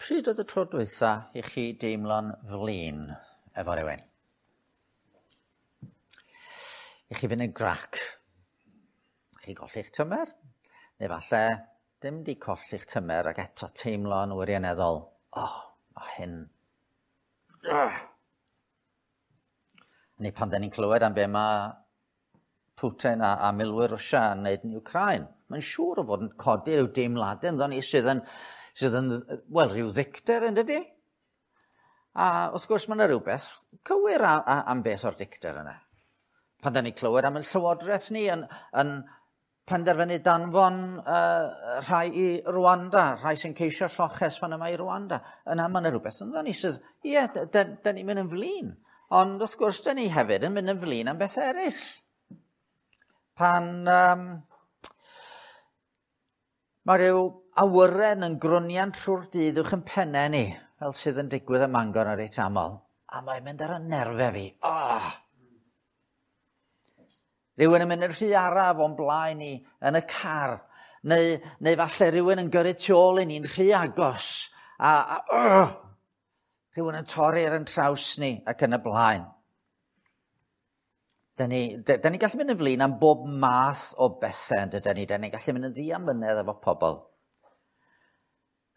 Pryd oedd y tro dwytha i chi deimlo'n flin efo rhywun? I chi fynd yn grac? Chi golli'ch tymer? Neu falle dim di colli'ch tymer ac eto teimlo'n wirioneddol, oh, mae hyn. Ugh. Neu pan da ni'n clywed am be mae Putin a milwyr Rwsia yn wneud yn Ukraine, mae'n siŵr o fod yn codi rhyw deimladau ynddo ni sydd yn, wel, rhyw ddicter, yn dydy? A wrth gwrs mae yna rhywbeth cywir am beth o'r dicter yna. Pan da ni clywed am y llywodraeth ni yn penderfynu danfon rhai i Rwanda, rhai sy'n ceisio lloches fan yma i Rwanda, yna mae yna rhywbeth ynddo ni sydd, ie, da ni'n mynd yn flin. Ond wrth gwrs, da ni hefyd yn mynd yn flin am beth eraill. Pan mae rhyw awyren yn grwnian trwy'r dydd uwch yn pennau ni, fel sydd yn digwydd ym Mangor yn reit aml, a mae'n mynd ar y nerfau fi. Oh! Rhywun yn mynd yn rhy araf o'n blaen ni yn y car, neu falle rhywun yn gyrru tu ôl i ni'n rhy agos, a rhywun yn torri ar yn traws ni ac yn y blaen. Da ni gallu mynd yn flin am bob math o bethau, yn dydyn ni? Da ni'n gallu mynd yn ddiamynedd efo pobl.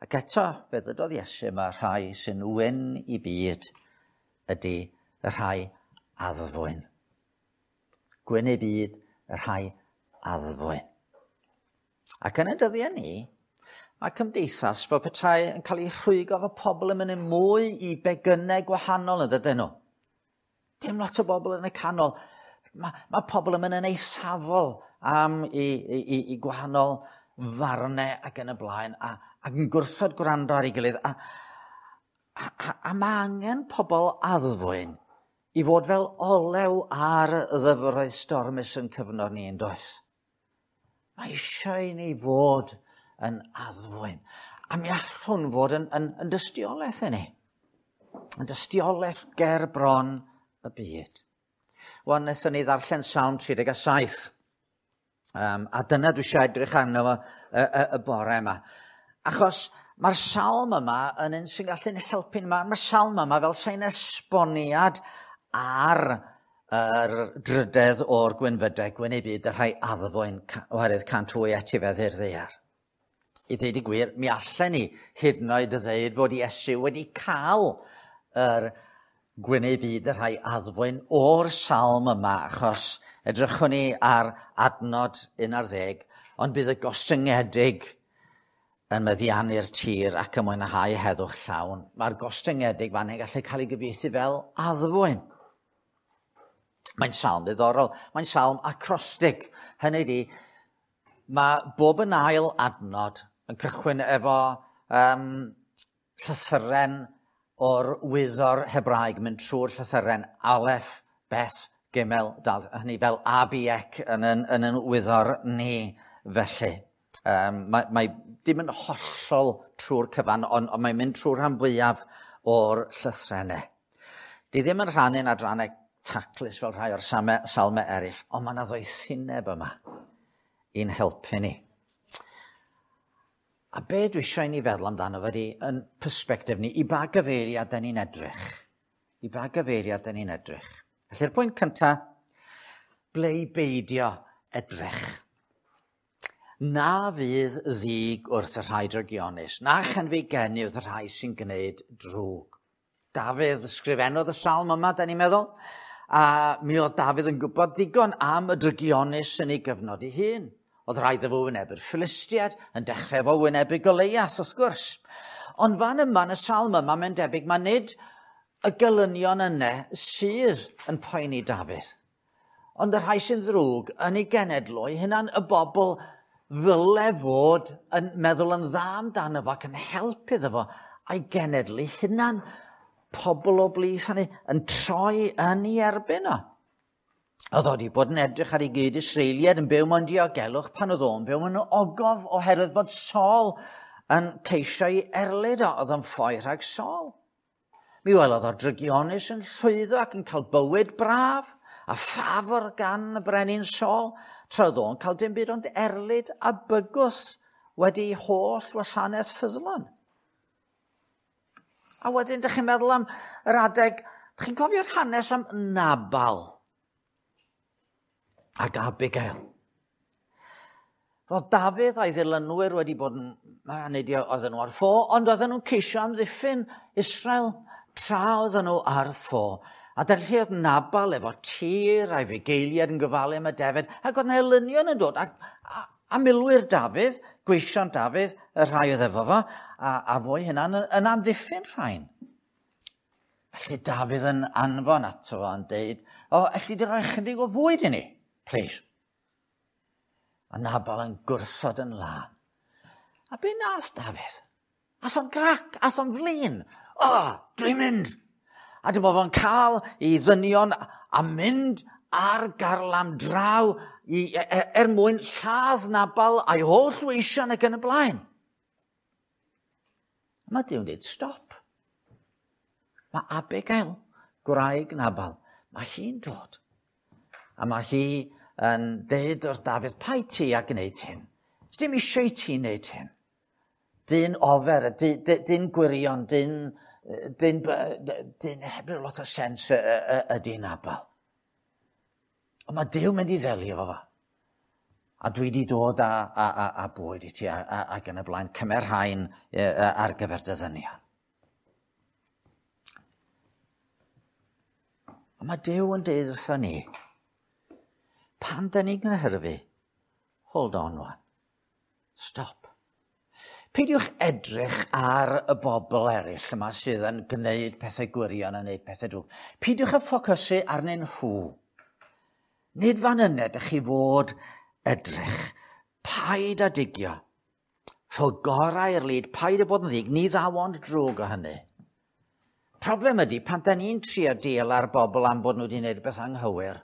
Ac eto, fe ddydodd Iesu, mae rhai sy'n wyn i byd ydy y rhai addfwyn. Gwyn i byd y rhai addfwyn. Ac yn y dyddiau ni, mae cymdeithas fel petai yn cael ei rhwygo efo pobl yn mynd yn mwy i begynnau gwahanol, yn dydyn nhw? Dim lot o bobl yn y canol. Mae pobl yn mynd yn eithafol am i gwahanol farnau ac yn y blaen, ac yn gwrthod gwrando ar ei gilydd. A mae angen pobl addfwyn i fod fel olew ar y ddyfroedd stormus yn cyfnod ni, yn does? Mae eisiau i ni fod yn addfwyn. A mi allwn fod yn dystiolaeth i ni. Yn dystiolaeth ger bron y byd. Wan, wnaethon ni ddarllen Salm 37. A dyna dwi eisiau edrych arno fo y bore yma. Achos mae'r salm yma yn un sy'n gallu'n helpu. Mae'r salm yma fel sy'n esboniad ar yr drydedd o'r gwynfydau, gwyn ei byd, y rhai addfwyn, oherwydd 108 etifedd i'r ddaear. I ddeud y gwir, mi allen ni hyd yn oed ddeud fod Iesu wedi cael yr gwyn ei byd y rhai addfwyn o'r salm yma, achos edrychwn ni ar adnod 11, ond bydd y gostyngedig yn meddiannu'r tir ac yn mwynhau heddwch llawn. Mae'r gostyngedig fan hyn gallu cael ei gyfieithu fel addfwyn. Mae'n salm ddiddorol. Mae'n salm acrostig. Hynny ydi, mae bob yn ail adnod yn cychwyn efo llythyren o'r wyddor Hebraeg, mynd trwy'r llythyren Aleph, Beth, Gimel, Dal, hynny fel A, B, C yn wyddor ni felly. Mae dim yn hollol trwy'r cyfan, ond mae'n mynd trwy'r rhan fwyaf o'r llythrennau. Di ddim yn rhannu'n adrannau taclus fel rhai o'r salmau eraill, ond mae yna ddoethineb yma i'n helpu ni. A be dwi eisiau i ni feddwl amdano fe di, yn perspectif ni, i ba gyfeiriad da ni'n edrych? I ba gyfeiriad da ni'n edrych? Felly'r pwynt cynta, ble i beidio edrych? Na fydd ddig wrth y rhai drygionus, na chenfigeni wrth y rhai sy'n gwneud drwg. Dafydd ysgrifennodd y salm yma, da ni'n meddwl, a mi oedd Dafydd yn gwybod ddigon am y drygionus yn ei gyfnod ei hun. Oedd rhaid iddo fo wynebu'r Philistiaid, yn dechrau fo wynebu Goliath, wrth gwrs. Ond fan yma, yn y salm yma, mae'n debyg, mae nid y gelynion yna sydd yn poeni Dafydd. Ond y rhai sy'n ddrwg yn ei genedl o'i hunan, y bobl ddyle fod yn meddwl yn dda amdano fo ac yn helpu iddo fo a'i genedl ei hunan. Pobl o blith hynny yn troi yn ei erbyn o. Oedd o wedi bod yn edrych ar ei gyd Israeliad yn byw mewn diogelwch pan oedd o'n byw mewn ogof oherwydd bod Saul yn ceisio ei erlid o, oedd o'n ffoi rhag Saul. Mi welodd o'r drygionus yn llwyddo ac yn cael bywyd braf a ffafr gan y brenin Saul, tra oedd o'n cael dim byd ond erlid a bygwth wedi holl wasanaeth ffyddlon. A wedyn, dych chi'n meddwl am yr adeg, dych chi'n cofio'r hanes am Nabal ac Abigail. Roedd Dafydd a'i ddilynwyr wedi bod yn, nid oedden nhw ar ffo, ond oedden nhw'n ceisio amddiffyn Israel tra oedden nhw ar ffo. A dyna lle oedd Nabal efo tir a'i fugeiliaid yn gofalu am y defaid, ac oedd 'na elynion yn dod, a milwyr Dafydd, gweision Dafydd, y rhai oedd efo fo, a fo'i hunan yn amddiffyn rhain. Felly Dafydd yn anfon ato fo yn deud, "O, elli di roi chydig o fwyd i ni, please?" A Nabal yn gwrthod yn lân. A be nath Dafydd? Ath o'n grac, ath o'n flin. "O, dwi'n mynd!" A dyma fo'n cael ei ddynion a mynd ar garlam draw er mwyn lladd Nabal a'i holl weision ac yn y blaen. A mae Duw'n dweud, "Stop." Mae Abigail, gwraig Nabal, mae hi'n dod. A mae hi yn deud wrth Dafydd, "Paid ti a gwneud hyn. Dim eisiau i ti wneud hyn. Dyn ofer, dyn gwirion, dyn heb ryw lot o sens ydy Nabal. Ond mae Duw mynd i ddelio efo fo. A dwi wedi dod â bwyd i ti ac yn y blaen, cymer rhain ar gyfer dy ddynion." A mae Duw yn deud wrtho ni, pan da ni'n cynhyrfu, hold on wan, stop. Peidiwch edrych ar y bobl eraill yma sydd yn gwneud pethau gwirion a gwneud pethau drwg. Peidiwch â ffocysu arnyn nhw. Nid fan yna ydych chi fod edrych. Paid â digio. Rho gorau i'r lid, paid â bod yn ddig, ni ddaw ond drwg o hynny. Problem ydy, pan da ni'n trio deal ar bobl am bod nhw wedi gwneud rhywbeth anghywir,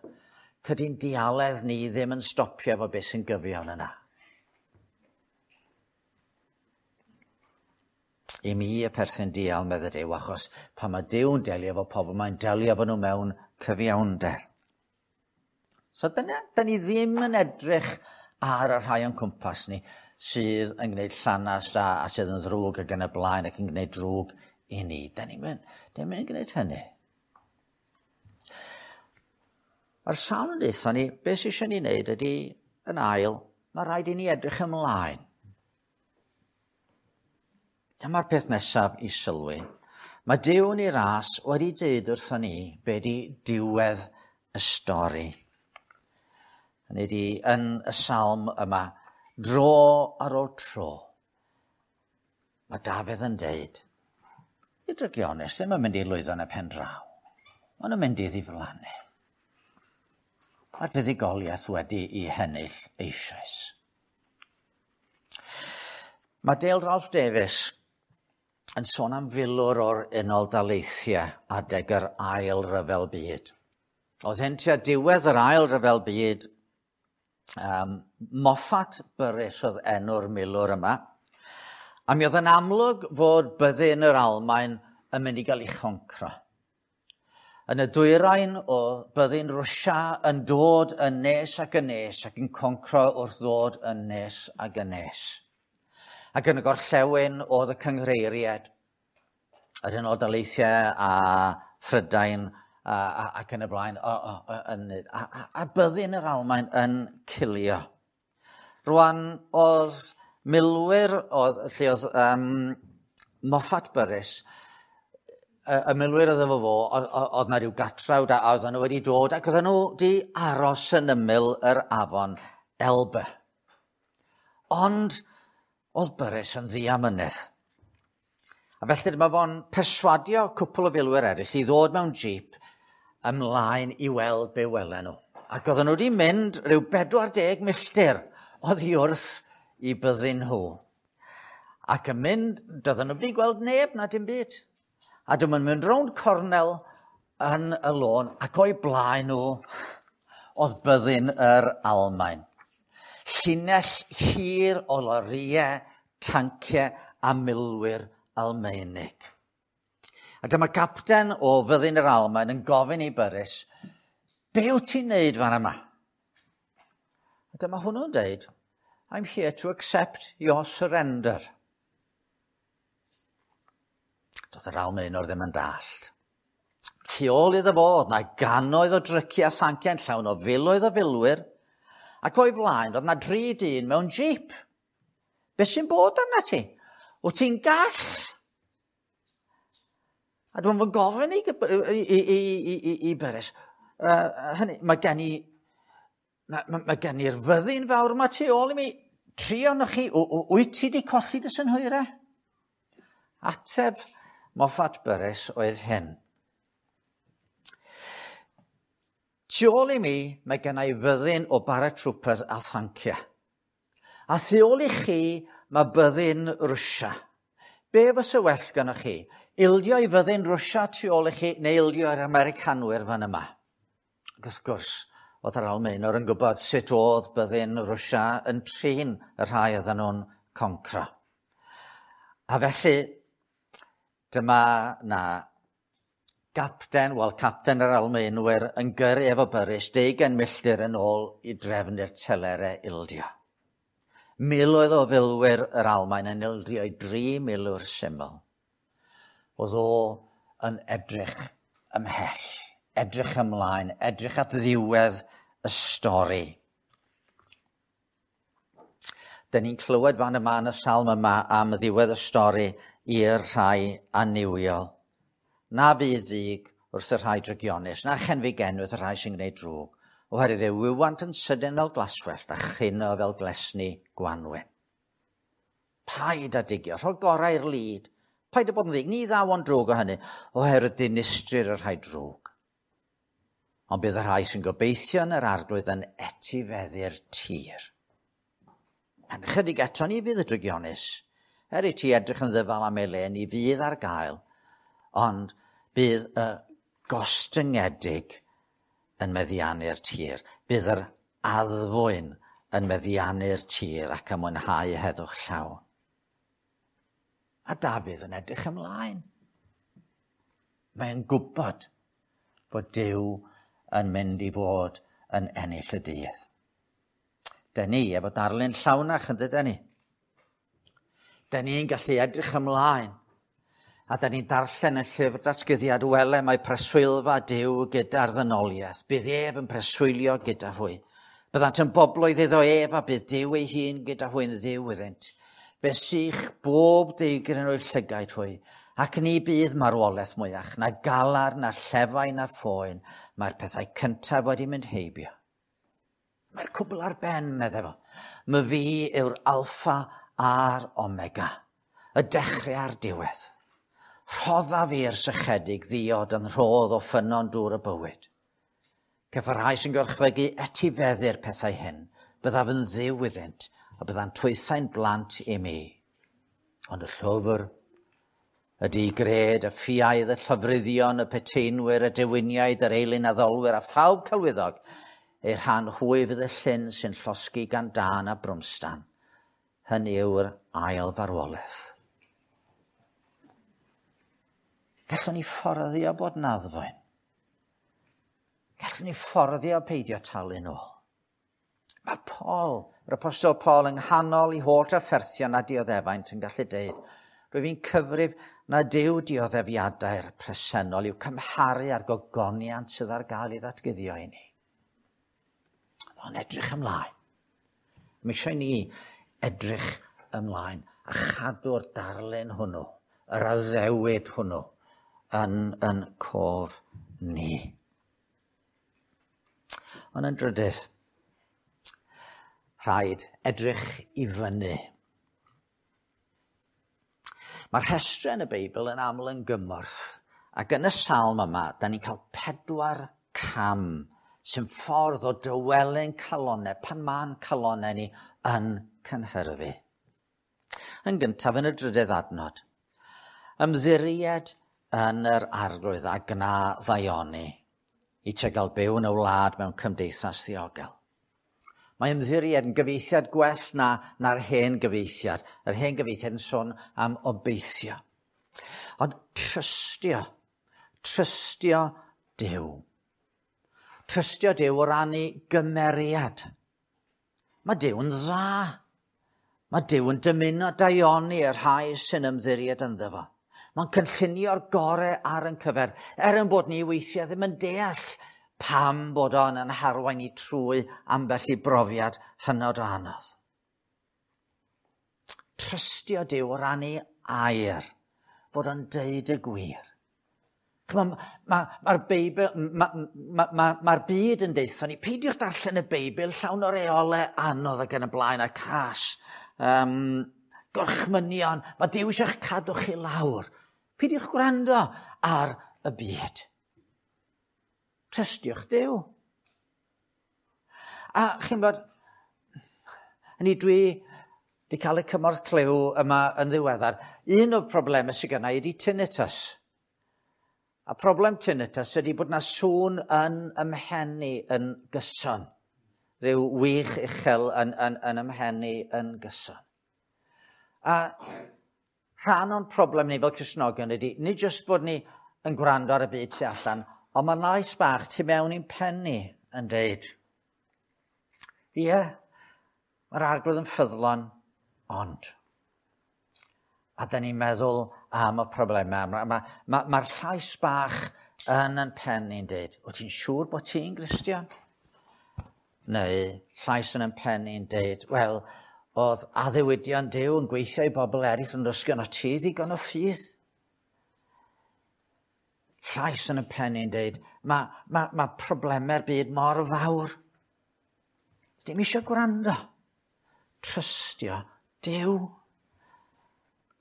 tydi'n dialedd ni ddim yn stopio efo beth sy'n gyfiawn yna. I mi y perthyn dial, medde Duw, achos pan mae Duw'n delio efo pobl, mae'n delio efo nhw mewn cyfiawnder. So dyna, da ni ddim yn edrych ar y rhai o'n cwmpas ni sydd yn gwneud llanast a sydd yn ddrwg ac yn y blaen ac yn gwneud drwg i ni. Da ni'n mynd gwneud hynny. Mae'r salm yn deutha ni, beth sydd eisiau ni wneud ydy, yn ail, mae rhaid i ni edrych ymlaen. Dyma'r peth nesaf i sylwi. Mae Duw yn ei ras wedi dweud wrthon ni be di diwedd y stori. Hynny ydi, yn y salm yma, dro ar ôl tro, mae Dafydd yn deud, i drygionus ddim yn mynd i lwyddo yn y pen draw. Maen nhw'n mynd i ddiflannu. Mae'r fuddugoliaeth wedi ei hennill eisoes. Mae Dale Ralph Davis yn sôn am filwr o'r Unol Daleithiau adeg yr Ail Ryfel Byd. Oedd hyn tua diwedd yr Ail Ryfel Byd. Moffat Burris oedd enw'r milwr yma. A mi oedd yn amlwg fod byddin yr Almaen yn mynd i gael ei choncro. Yn y dwyrain oedd byddin Rwsia yn dod yn nes ac yn nes ac yn concro wrth ddod yn nes ac yn nes. Ac yn y gorllewin oedd y cynghreiriaid, yr Unol Daleithiau a Phrydain ac yn y blaen, a byddin yr Almaen yn cilio. Rwan oedd milwyr, lle oedd Moffat Burris, y milwyr oedd efo fo, oedd na rhyw gatrawd a oedden nhw wedi dod ac oedden nhw wedi aros yn ymyl yr afon Elbe. Ond oedd Burris yn ddiamynedd. A felly dyma fo'n perswadio cwpl o filwyr eraill i ddod mewn jeep ymlaen i weld be welen nhw. Ac oedden nhw wedi mynd rhyw 40 milltir oddi wrth i byddin nhw. Ac yn mynd, doedden nhw wedi gweld neb na dim byd. A dyma'n mynd rownd cornel yn y lôn ac o'i blaen nhw oedd byddin yr Almaen. Llinell hir o lorïau, tanciau a milwyr Almaenig. A dyma capten o fyddin yr Almaen yn gofyn i Burris, "Be wyt ti'n neud fan yma?" A dyma hwnnw'n deud, "I'm here to accept your surrender." Doedd yr Almaenwr ddim yn dallt. Tu ôl iddo fo, oedd 'na gannoedd o dryciau a thanciau'n llawn o filoedd o filwyr, ac o'i flaen oedd 'na dri dyn mewn jeep. Be sy'n bod arna ti? Wyt ti'n gall? A dwi'n fy gofyn i Burris, hynny, mae gen i mae, mae, mae gen i'r fyddin fawr yma tu ôl i mi. Tri ohonoch chi, wyt ti wedi colli dy synhwyrau? Ateb Moffat Burris oedd hyn. Tu ôl i mi, mae gen i fyddin o paratroopers a thanciau. A thu ôl i chi, mae byddin Rwsia. Be fysa well gynnoch chi? Ildio i fyddin Rwsia tu ôl i chi, neu ildio i'r Americanwyr fan yma? Ac wrth gwrs, oedd yr Almaenwr yn gwybod sut oedd byddin Rwsia yn trin y rhai oedden nhw'n concro. A felly, dyma na gapten, wel capten yr Almaenwyr yn gyrru efo Burris 20 milltir yn ôl i drefnu'r telere ildio. Miloedd o filwyr yr Almaen yn ildio i dri milwr syml. Oedd o yn edrych ymhell, edrych ymlaen, edrych at ddiwedd y stori. Dyn ni'n clywed fan yma yn y salm yma am ddiwedd y stori i'r rhai annuwiol. Na fydd ddig wrth y rhai drygionus, na chenfigen wrth y rhai sy'n gwneud drwg, oherwydd fe wywant yn sydyn fel glaswellt a chryno fel glesni gwanwyn. Paid â digio, rho gorau i'r lid. Paid â bod yn ddig, ni ddaw ond drwg o hynny, oherwydd dinistrir y rhai drwg. Ond bydd y rhai sy'n gobeithio yn yr Arglwydd yn etifeddu'r tir. Yn chydig eto ni fydd y drygionus. Er i ti edrych yn ddyfal am ei le, ni fydd ar gael, ond bydd y gostyngedig yn meddiannu'r tir. Bydd yr addfwyn yn meddiannu'r tir ac yn mwynhau heddwch llawn. A Dafydd yn edrych ymlaen. Mae'n gwybod bod Duw yn mynd i fod yn ennill y dydd. Dyn ni efo darlun llawnach yn dydyn ni. Dyn ni'n gallu edrych ymlaen. A dyn ni'n darllen y llyfr datguddiad, wele mae preswylfa Duw gyda'r ddynoliaeth. Bydd ef yn preswylio gyda hwy. Byddant yn bobloedd iddo ef a bydd Duw ei hun gyda hwy'n dduw iddynt. Fe sych bob deigryn o'u llygaid hwy, ac ni bydd marwolaeth mwyach, na galar, na llefau, na phoen. Mae'r pethau cyntaf wedi mynd heibio. Mae'r cwbl ar ben, meddai fo. My fi yw'r alffa a'r omega, y dechrau a'r diwedd. Rhoddaf i'r sychedig ddiod yn rhodd o ffynnon dŵr y bywyd. Caiff y rhai sy'n gorchfygu etifeddu'r pethau hyn, byddaf yn dduw iddynt, a byddant hwythau'n blant i mi. Ond y llwfr, y digred, y ffiaidd, y llofruddion, y peteinwyr, y dewiniaid, yr eilunaddolwyr, a phawb celwyddog, eu rhan hwy fydd y llyn sy'n llosgi gan dân a brwmstan. Hynny yw'r ail farwolaeth. Gallwn ni fforddio bod yn addfwyn. Gallwn ni fforddio peidio talu nôl. Mae Paul, yr apostol Paul, yng nghanol i holl drafferthion a dioddefaint yn gallu deud, rwyf fi'n cyfrif na dyw dioddefiadau'r presennol i'w cymharu â'r gogoniant sydd ar gael ei ddatguddio i ni. Oedd o'n edrych ymlaen. Mae eisiau ni edrych ymlaen a chadw'r darlun hwnnw, yr addewid hwnnw, yn cof ni. Ond yn drydydd, rhaid edrych i fyny. Mae'r rhestrau yn y Beibl yn aml yn gymorth, ac yn y salm yma, da ni'n cael 4 cam sy'n ffordd o dawelyn calonnau pan ma'n calonnau ni yn cynhyrfu. Yn gyntaf, yn y drydydd adnod, ymddiried yn yr Arglwydd a gna ddaioni i ti gael byw yn y wlad mewn cymdeithas ddiogel. Mae ymddiried yn gyfieithiad gwell na'r hen gyfieithiad. Yr hen gyfieithiad yn sôn am obeithio. Ond trystio Duw. Trystio Duw o ran ei gymeriad. Mae Duw yn dda. Mae Duw yn dymuno daioni y rhai sy'n ymddiried ynddo fo. Mae'n cynllunio'r gorau ar yn cyfer, er yn bod ni weithiau ddim yn deall pam bod o'n yn harwain ni trwy ambell i brofiad hynod o anodd. Trystio Duw o ran ei air, fod o'n deud y gwir. Mae'r ma, ma Beibl, mae'r ma, ma, ma byd yn deutha ni, peidiwch darllen y Beibl llawn o reolau anodd ac yn y blaen a cas. Gorchmynion, mae Duw eisiau'ch cadw chi lawr. Peidiwch gwrando ar y byd. Trystiwch Duw. A chi'n bod, hynny dwi wedi cael y cymorth clyw yma yn ddiweddar. Un o'r problemau sydd gynna i ydy tinnitus. A problem tinnitus ydy bod na sŵn yn ymhenni yn gyson. Rhyw wych uchel yn ymhenni yn gyson. A rhan o'n problem ni fel Cristnogion ydy, nid jyst bod ni yn gwrando ar y byd tu allan, ond mae lais bach tu mewn i'n pen ni yn deud, ie, mae'r Arglwydd yn ffyddlon, ond. A da ni'n meddwl am y problemau. Mae'r ma, ma, ma llais bach yn pen ni'n deud, wyt ti'n siŵr bod ti'n Gristion? Neu llais yn pen ni'n deud, wel, oedd addewidion Duw yn gweithio i bobl eraill yn dysgu o ti ddigon o ffydd. Llais yn y pen ni'n deud, mae ma, ma problemau'r byd mor fawr. Dim eisiau gwrando. Trystio Duw.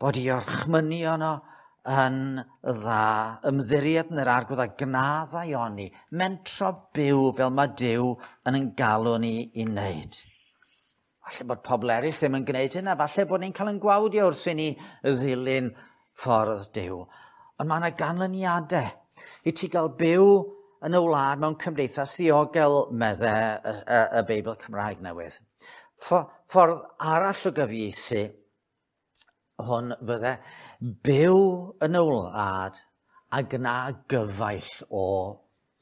Bod i orchmynion o yn dda, ymddiried yn yr Arglwydd a gna ddaioni, mentro byw fel mae Duw yn galw ni i wneud. Falle bod pobl eraill ddim yn gwneud hynna, falle bod ni'n cael yn gwawdio wrth i ni ddilyn ffordd Duw. Ond mae yna ganlyniadau i ti gael byw yn y wlad mewn cymdeithas ddiogel, medde y Beibl Cymraeg newydd. Ffordd arall o gyfieithu hwn fydde byw yn y wlad a gna gyfaill o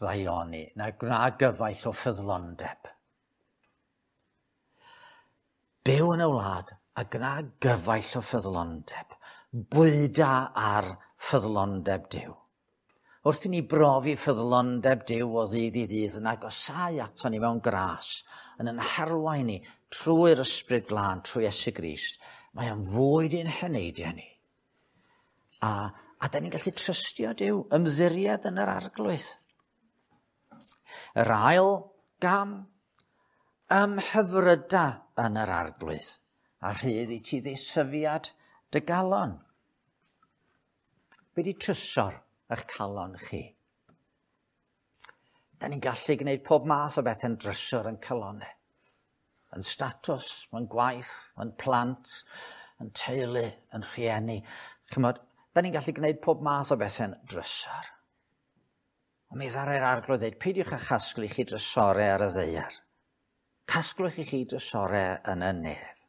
ddaioni, na gna gyfaill o ffyddlondeb. Byw yn y wlad a gna gyfaill o ffyddlondeb. Bwyda ar ffyddlondeb Duw. Wrth i ni brofi ffyddlondeb Duw o ddydd i ddydd yn agosáu ato ni mewn gras, yn yn harwain ni trwy'r Ysbryd Glân, trwy Iesu Grist, mae o'n fwyd i'n heneidiau ni. A da ni'n gallu trystio Duw, ymddiried yn yr Arglwydd. Yr ail gam, ymhyfryda yn yr Arglwydd, a rhydd i ti ddeisyfiad dy galon. Be di trysor eich calon chi? Da ni'n gallu gwneud pob math o bethau'n drysor yn calonau. Yn statws, yn gwaith, yn plant, yn teulu, yn rhieni. Chymod, da ni'n gallu gwneud pob math o bethau'n drysor. Ond mi ddaru'r Arglwydd ddeud, peidiwch â chasglu chi drysorau ar y ddaear. Casglwch i chi drysorau yn y nef.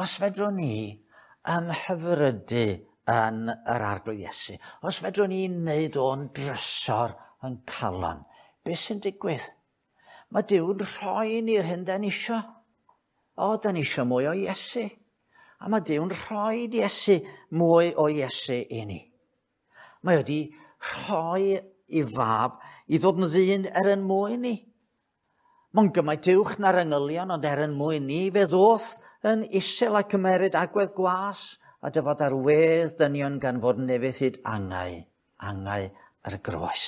Os fedrwn ni ymhyfrydu yn yr Arglwydd Iesu, os fedrwn ni wneud o'n drysor yn calon, beth sy'n digwydd? Mae Duw'n rhoi ni'r hyn da ni isio. O, da ni isio mwy o Iesu. A mae Duw'n rhoi Iesu mwy o Iesu i ni. Mae wedi rhoi i fab i ddod yn ddyn er yn mwyn ni. Mae'n gymaint uwch na'r angylion, ond er yn mwyn ni, fe ddoth yn isel a cymeryd agwedd gwas a dyfod ar wedd dynion gan fod yn ufudd hyd angau, angau ar y groes.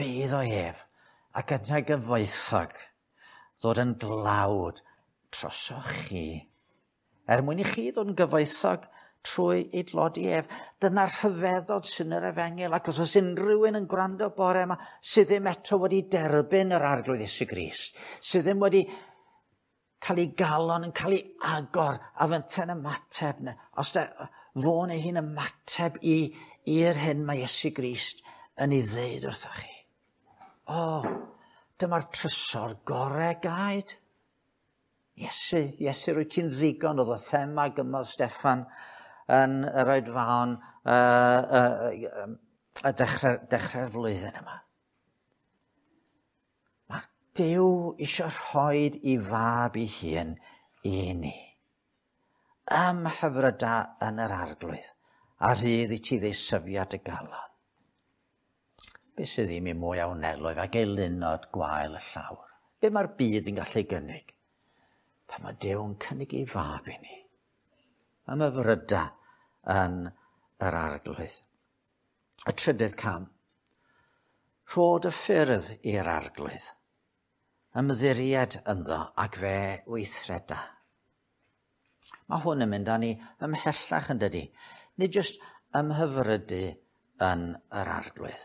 Bydd o ef ac yntau gyfoethog ddod yn dlawd trosoch chi. Er mwyn i chi ddod yn gyfoethog trwy ei dlodi ef. Dyna'r rhyfeddod sy'n yr efengyl, ac os oes unrhyw un yn gwrando bore yma sydd ddim eto wedi derbyn yr Arglwydd Iesu Grist, sydd ddim wedi cael ei galon yn cael ei agor a fynte'n ymateb, neu, os da, fo neu hi'n ymateb i'r hyn mae Iesu Grist yn ei ddeud wrthoch chi. O, dyma'r trysor gorau gaed. Iesu, Iesu, rwy ti'n ddigon, oedd y thema gymodd Steffan yn yr oedfaon y dechrau'r flwyddyn yma. Mae Duw eisiau rhoi i fab ei hun i ni. Ymhyfryda yn yr Arglwydd, a rhydd i ti ddeisyfiad y galon. Be sydd ddim i mwy a wnelo ef ag eilunod gwael y llawr? Be mae'r byd yn gallu gynnig? Pan mae Duw yn cynnig ei fab i ni. Ymhyfryda yn yr Arglwydd. Y trydydd cam. Rhod y ffyrdd i'r Arglwydd. Ymddiried ynddo ac fe weithreda. Mae hwn yn mynd â ni ymhellach yn dydi. Nid jyst ymhyfrydu yn yr Arglwydd,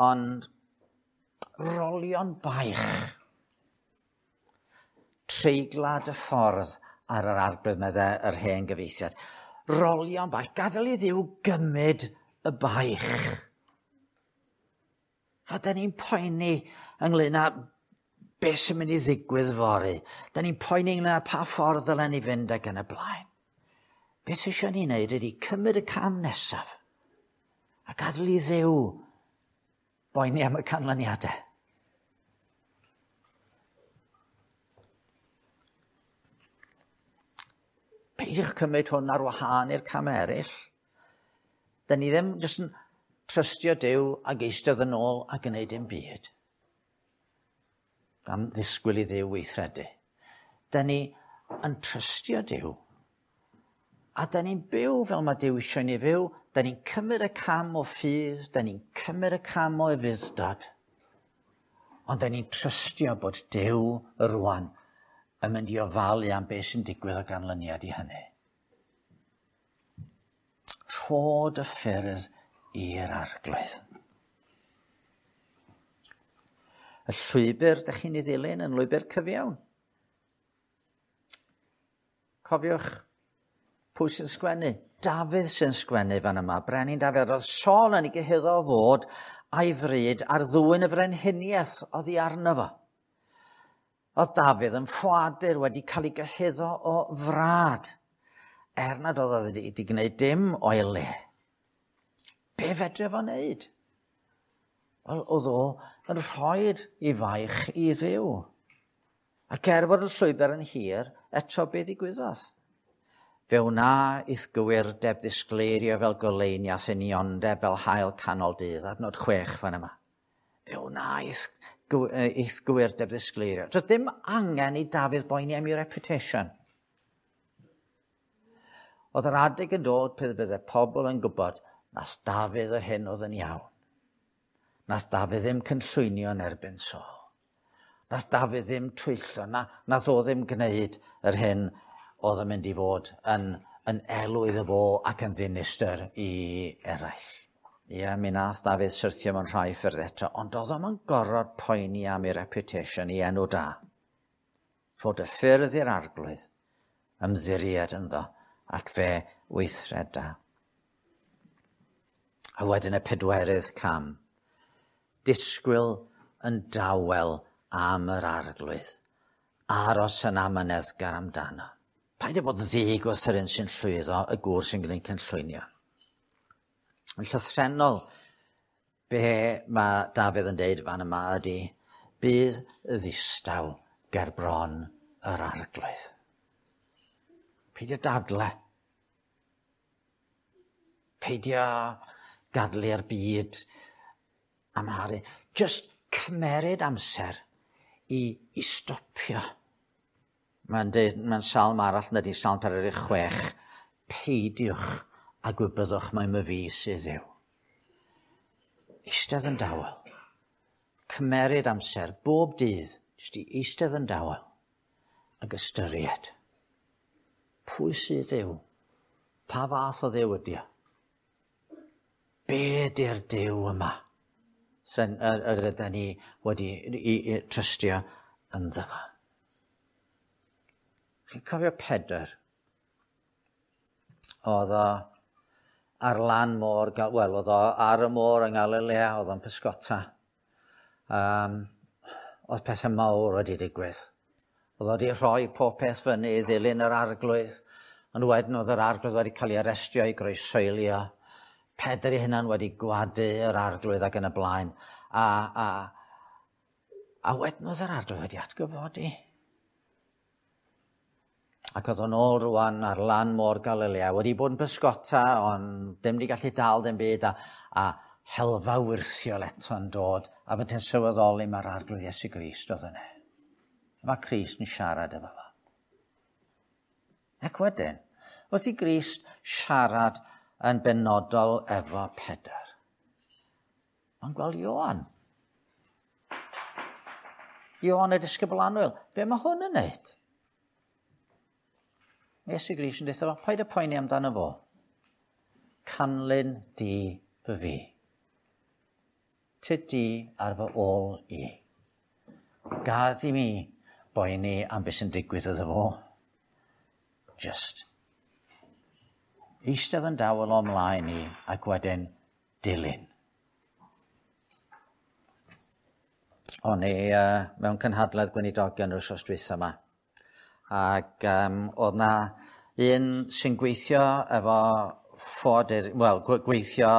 ond rolion baich. Treiglad y ffordd ar yr Arglwydd, medde yr hen gyfieithiad. Rolion baich, gadael i Dduw gymryd y baich. A da ni'n poeni ynglyn â beth sy'n mynd i ddigwydd fory. Da ni'n poeni ynglyn â pa ffordd ddylen ni fynd ac yn y blaen. Beth sy'n eisiau ni wneud ydy cymryd y cam nesaf a gadael i Dduw boeni am y canlyniadau. Peidiwch cymryd hwn ar wahân i'r cam eraill. Da ni ddim jyst yn trystio Duw ac eistedd yn ôl a gwneud dim byd. Gan ddisgwyl i Dduw weithredu. Da ni yn trystio Duw. A da ni'n byw fel mae Duw eisiau ni fyw. Da ni'n cymryd y cam o ffydd, da ni'n cymryd y cam o ufudd-dod. Ond da ni'n trystio bod Duw rwan yn mynd i ofalu am beth sy'n digwydd o ganlyniad i hynny. Rhod y ffyrdd i'r Arglwydd. Y llwybr ydych chi'n ei ddilyn yn lwybr cyfiawn. Cofiwch pwy sy'n sgwennu. Dafydd sy'n sgwennu fan yma. Brenin Dafydd. Roedd Saul yn ei gyhuddo o fod a'i fryd ar ddwyn y frenhiniaeth oddi arno fo. Oedd Dafydd yn ffoadur wedi cael ei gyhuddo o frad, er nad oedd o wedi gwneud dim o'i le. Be fedre fo wneud? Wel, oedd o yn rhoi'r i faich i Dduw. Ac er fod y llwybr yn hir, eto be ddigwyddodd? Fe wna i'th gywirdeb ddisgleirio fel goleuni a thyniondeb fel haul canol dydd, adnod 6 fan yma. Fe wna i'th gywirdeb ddisgleirio. Doedd dim angen i Dafydd boeni am ei reputation. Oedd yr adeg yn dod pryd bydde pobl yn gwybod nath Dafydd yr hyn oedd yn iawn. Nath Dafydd ddim cynllwynio yn erbyn Saul. Nath Dafydd ddim twyllo, nath o ddim gwneud yr hyn oedd yn mynd i fod yn elw iddo fo ac yn ddinistr i eraill. Ie, mi nath Dafydd syrthio mewn rhai ffyrdd eto, ond oedd o'm yn gorfod poeni am ei reputation, ei enw da. Rhod y ffyrdd i'r Arglwydd, ymddiried ynddo, ac fe weithreda. A wedyn y pedwerydd cam. Disgwyl yn dawel am yr Arglwydd. Aros yn amyneddgar amdano. Paid â bod ddig wrth yr un sy'n llwyddo, y gŵr sy'n gwneud cynllwynio. Yn llythrennol, be mae Dafydd yn deud fan yma ydy, bydd ddistaw ger bron yr Arglwydd. Peidio dadle. Peidio gadlu'r byd amharu. Just cymeryd amser i stopio. Mae'n deud, mae'n salm arall yn ydy, Salm 46, peidiwch a gwybyddwch mai myfi sydd Dduw. Eistedd yn dawel. Cymeryd amser bob dydd, jyst i eistedd yn dawel ac ystyried. Pwy sydd Dduw? Pa fath o Dduw ydy o? Be ydy'r Duw yma sy'n yr ydyn ni wedi i trystio ynddo fo? Chi'n cofio Pedr? Oedd o ar lan môr, wel, oedd o ar y môr yng Ngalilea, oedd o'n pysgota. Oedd pethau mawr wedi digwydd. Oedd o wedi rhoi pob peth fyny i ddilyn yr Arglwydd, ond wedyn oedd yr Arglwydd wedi cael ei arestio, ei groesoelio. Pedr ei hunan wedi gwadu yr Arglwydd ac yn y blaen. A wedyn oedd yr Arglwydd wedi atgyfodi. Ac oedd o'n ôl rwan ar lan môr Galilea, wedi bod yn pysgota, ond dim wedi gallu dal dim byd, a helfa wyrthiol eto'n dod, a fe ti'n sylweddoli mae'r Arglwydd Iesu Grist oedd yna. Mae Crist yn siarad efo fo. Ac wedyn, wrth i Grist siarad yn benodol efo Pedr, mae'n gweld Ioan. Ioan y disgybl annwyl. Be mae hwn yn neud? Iesu Grist yn dweud fo, paid â poeni amdano fo. Canlyn di fy fi. Tyd di ar fy ôl i. Gad i mi boeni am beth sy'n digwydd iddo fo. Just. Eistedd yn dawel o mlaen i ac wedyn dilyn. O'n i mewn cynhadledd gweinidogion yr wythnos dwytha yma. Ac oedd na un sy'n gweithio efo ffoadur, wel, gweithio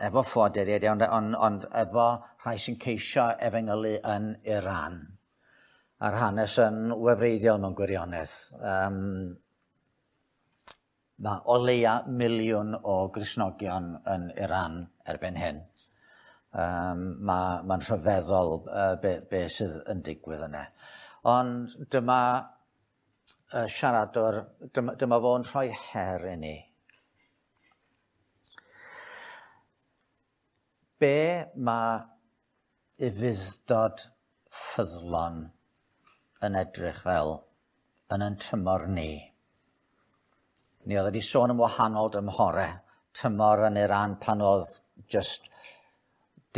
efo ffoaduriaid, ond efo rhai sy'n ceisio efengylu yn Iran. A'r hanes yn wefreiddiol mewn gwirionedd. Mae o leia 1 miliwn o Gristnogion yn Iran erbyn hyn. Mae'n rhyfeddol be sydd yn digwydd yna. Ond dyma siaradwr, dyma fo'n rhoi her i ni. Be mae ufudd-dod ffyddlon yn edrych fel yn yn tymor ni? Ni oedd wedi sôn am wahanol dymhore, tymor yn Iran pan oedd just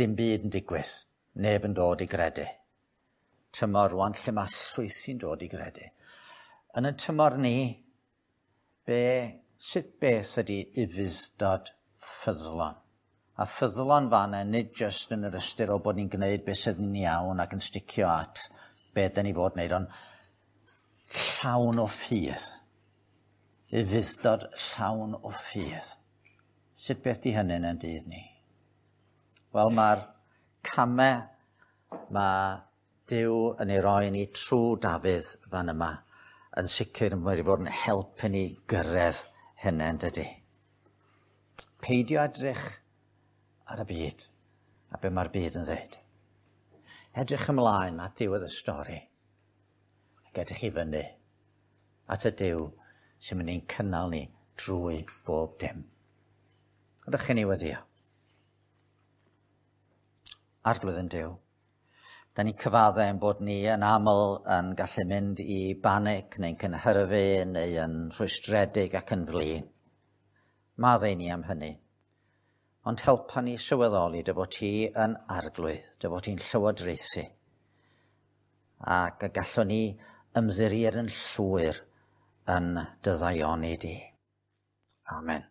dim byd yn digwydd, neb yn dod i gredu. Tymor rwan lle mae llwythi'n dod i gredu. Yn y tymor ni, sut beth ydy ufudd-dod ffyddlon? A ffyddlon fan'na nid jyst yn yr ystyr o bod ni'n gwneud beth sydd yn iawn ac yn sticio at be dyn ni fod wneud, ond llawn o ffydd. Ufudd-dod llawn o ffydd. Sut beth di hynny yn dydd ni? Wel, mae'r camau mae Duw yn ei roi ni trwy Dafydd fan yma yn sicr yn wedi fod yn helpu ni gyrraedd hynny, yn dydy. Peidio edrych ar y byd a be mae'r byd yn dweud. Edrych ymlaen at diwedd y stori ac edrych i fyny at y Duw sy'n mynd i'n cynnal ni drwy bob dim. Ydych chi'n ei weddio? Arglwydd ein Duw, da ni'n cyfadde ein bod ni yn aml yn gallu mynd i banic neu'n cynhyrfu neu yn rhwystredig ac yn flin. Maddau ni am hynny. Ond helpa ni sylweddoli dy fod ti yn arglwydd, dy fod ti'n llywodraethu. Ac y gallwn ni ymddiried yn llwyr yn dy ddaioni di. Amen.